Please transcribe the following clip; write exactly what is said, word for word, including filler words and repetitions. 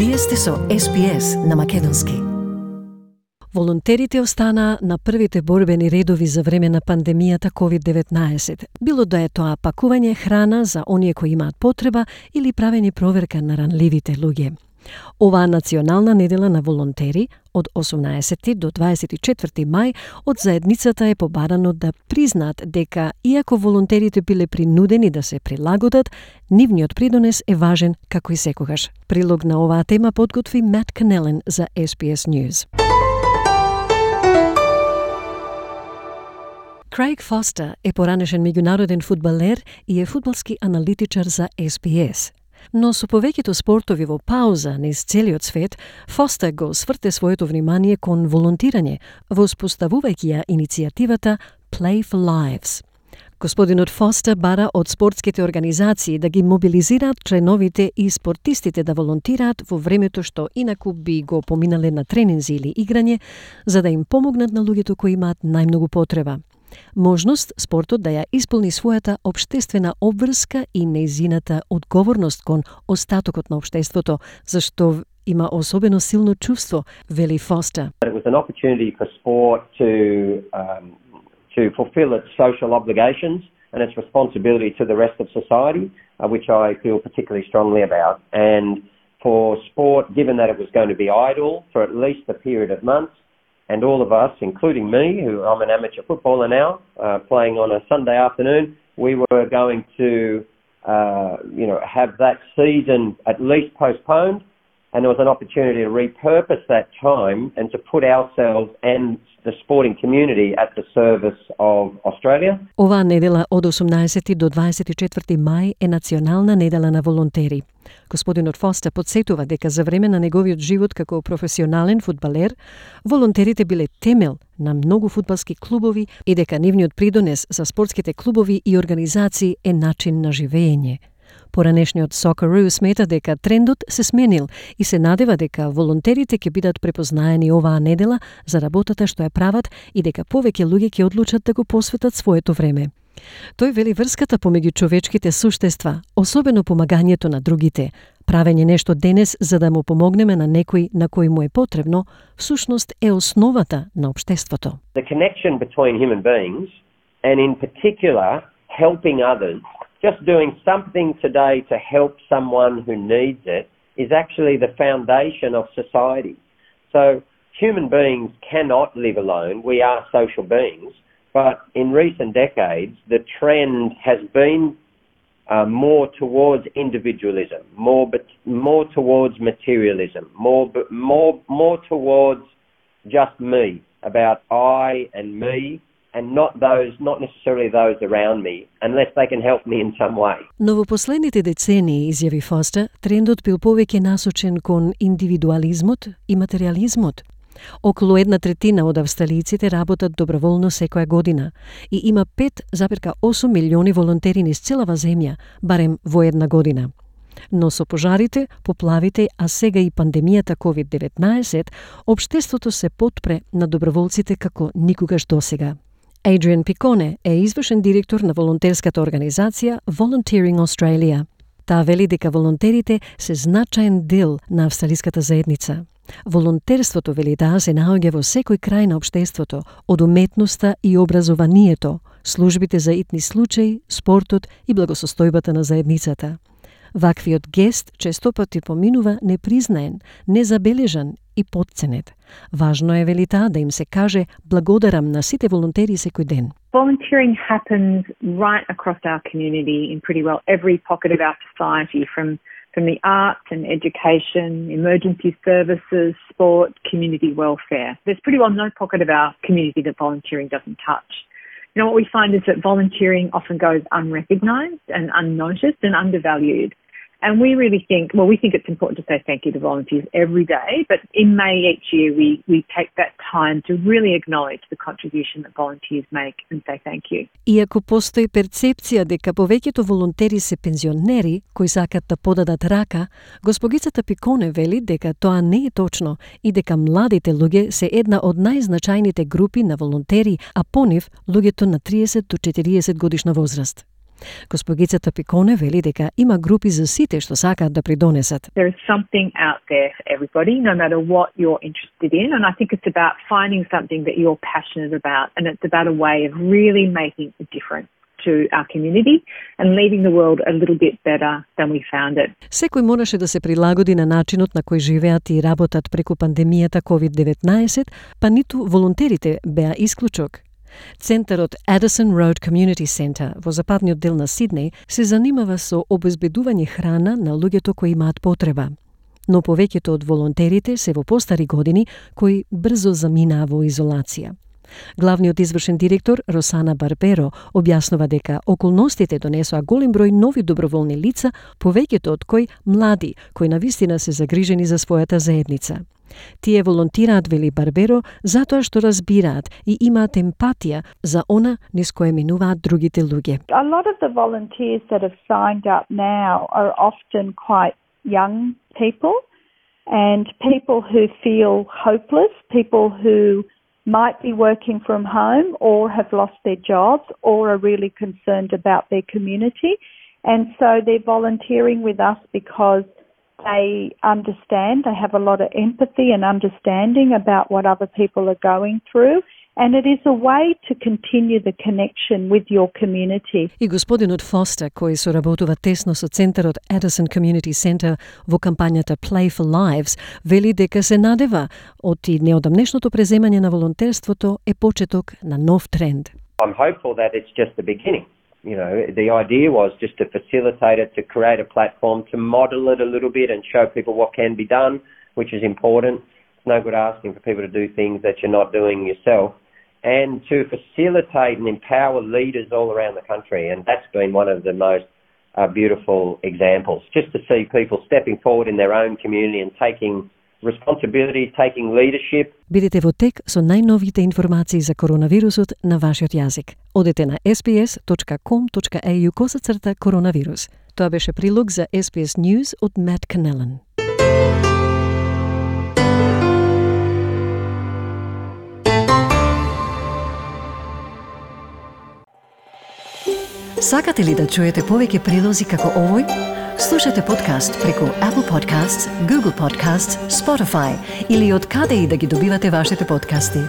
Вие сте со Ес Би Ес на Македонски. Волонтерите останаа на првите борбени редови за време на пандемијата ковид деветнаесет. Било да е тоа пакување храна за оние кои имаат потреба или правење проверка на ранливите луѓе. Оваа национална недела на волонтери од осумнаесети до дваесет и четврти мај од заедницата е побарано да признаат дека иако волонтерите биле принудени да се прилагодат, нивниот придонес е важен како и секогаш. Прилог на оваа тема подготви Мат Канелен за Ес Би Ес News. Крейг Фостер е поранешен меѓународен фудбалер и е фудбалски аналитичар за Ес Би Ес. Но со повеќето спортови во пауза низ целиот свет, Фостер го сврте своето внимание кон волонтирање, воспоставувајќи ја иницијативата Play for Lives. Господинот Фостер бара од спортските организации да ги мобилизираат членовите и спортистите да волонтираат во времето што инаку би го поминале на тренинзи или играње, за да им помогнат на луѓето кои имаат најмногу потреба. Можност спортот да ја исполни својата општествена обврска и нејзината одговорност кон остатокот на општеството, зашто има особено силно чувство, вели Фостер. It was an opportunity for sport to um, to fulfill its social obligations and its responsibility to the rest of society, uh, which I feel particularly strongly about. And for sport, given that it was going to be idle for at least a period of months, and all of us, including me, who I'm an amateur footballer now, uh, playing on a Sunday afternoon, we were going to, uh, you know, have that season at least postponed, and there was an opportunity to repurpose that time and to put ourselves and the sporting community at the service of Australia. Оваа недела од осумнаесети до дваесет и четврти мај е национална недела на волонтери. Господинот Фостер подсетува дека за време на неговиот живот како професионален фудбалер, волонтерите биле темел на многу фудбалски клубови и дека нивниот придонес за спортските клубови и организации е начин на живење. Поранешниот Socceroo смета дека трендот се сменил и се надева дека волонтерите ќе бидат препознаени оваа недела за работата што ја прават и дека повеќе луѓе ќе одлучат да го посветат своето време. Тој вели врската помеѓу човечките суштества, особено помагањето на другите, правење нешто денес за да му помогнеме на некој на кој му е потребно, всушност е основата на општеството. The connection between human beings and in particular helping others, just doing something today to help someone who needs it is actually the foundation of society. So human beings cannot live alone. We are social beings. But in recent decades, the trend has been uh, more towards individualism, more but more towards materialism, more more more towards just me, about I and me, and not those, not necessarily those around me, unless they can help me in some way. Но во последните децении, изјави Фостер, трендот бил повеќе насочен кон индивидуализмот и материализмот. Околу една третина од австралијците работат доброволно секоја година и има пет запирка осум милиони волонтери низ целава земја, барем во една година. Но со пожарите, поплавите, а сега и пандемијата ковид деветнаесет, општеството се потпре на доброволците како никогаш досега. Adrian Piccone е извршен директор на волонтерската организација Volunteering Australia. Таа вели дека волонтерите се значаен дел на австралиската заедница. Волонтерството, вели таа, се наоѓа во секој крај на општеството, од уметноста и образованието, службите за итни случаи, спортот и благосостојбата на заедницата. Ваквиот гест често пати поминува непризнаен, незабележан и потценет. Важно е, вели таа, да им се каже благодарам на сите волонтери секој ден. Volunteering happens right across our community in pretty well every pocket of our society, from from the arts and education, emergency services, sport, community welfare. There's pretty well no pocket of our community that volunteering doesn't touch. You know, what we find is that volunteering often goes unrecognised and unnoticed and undervalued. And we really think, well, we think it's important to say thank you to volunteers every day, but in May each year we, we take that time to really acknowledge the contribution that volunteers make and say thank you. Иако постои перцепција дека повеќето волонтери се пензионери кои сакат да подадат рака, госпогицата Пиконе вели дека тоа не е точно и дека младите луѓе се една од најзначајните групи на волонтери, а по нив луѓето на триесет до четириесет годишна возраст. Госпогицата Пиконе вели дека има групи за сите што сакаат да придонесат. There is something out there for everybody, no matter what you're interested in. And I think it's about finding something that you're passionate about. And it's about a way of really making a difference to our community and leaving the world a little bit better than we found it. Секој мораше да се прилагоди на начинот на кој живеат и работат преку пандемијата ковид деветнаесет, па ниту волонтерите беа исклучок. Центарот Addison Road Community Center во западниот дел на Сиднеј се занимава со обезбедување храна на луѓето кои имаат потреба. Но повеќето од волонтерите се во постари години кои брзо заминаа во изолација. Главниот извршен директор Росана Барберо објаснува дека околностите донесоа голем број нови доброволни лица, повеќето од кои млади, кои навистина се загрижени за својата заедница. Тие волонтираат, вели Барберо, затоа што разбираат и имаат емпатија за она низ кое минуваат другите луѓе. A lot of the volunteers that have signed up now are often quite young people and people who feel hopeless, people who might be working from home or have lost their jobs or are really concerned about their community. And so they're volunteering with us because they understand, they have a lot of empathy and understanding about what other people are going through. And it is a way to continue the connection with your community. И господинот Фостер, кој соработува тесно со центарот Addison Community Center во кампањата Play for Lives, вели дека се надева оти неодамнешното преземање на волонтерството е почеток на нов тренд. I'm hopeful that it's just the beginning. You know, the idea was just to facilitate it, to create a platform, to model it a little bit and show people what can be done, which is important. It's no good asking for people to do things that you're not doing yourself. And to facilitate and empower leaders all around the country. And that's been one of the most uh, beautiful examples. Just to see people stepping forward in their own community and taking responsibility, taking leadership. Бидете во тек со најновите информации за коронавирусот на вашиот јазик. Одете на ес би ес точка ком точка ей ю косацрта коронавирус. Тоа беше прилог за Ес Би Ес News од Мат Канелан. Сакате ли да чуете повеќе прилози како овој? Слушате подкаст преку Apple Podcasts, Google Podcasts, Spotify или од каде и да ги добивате вашите подкасти.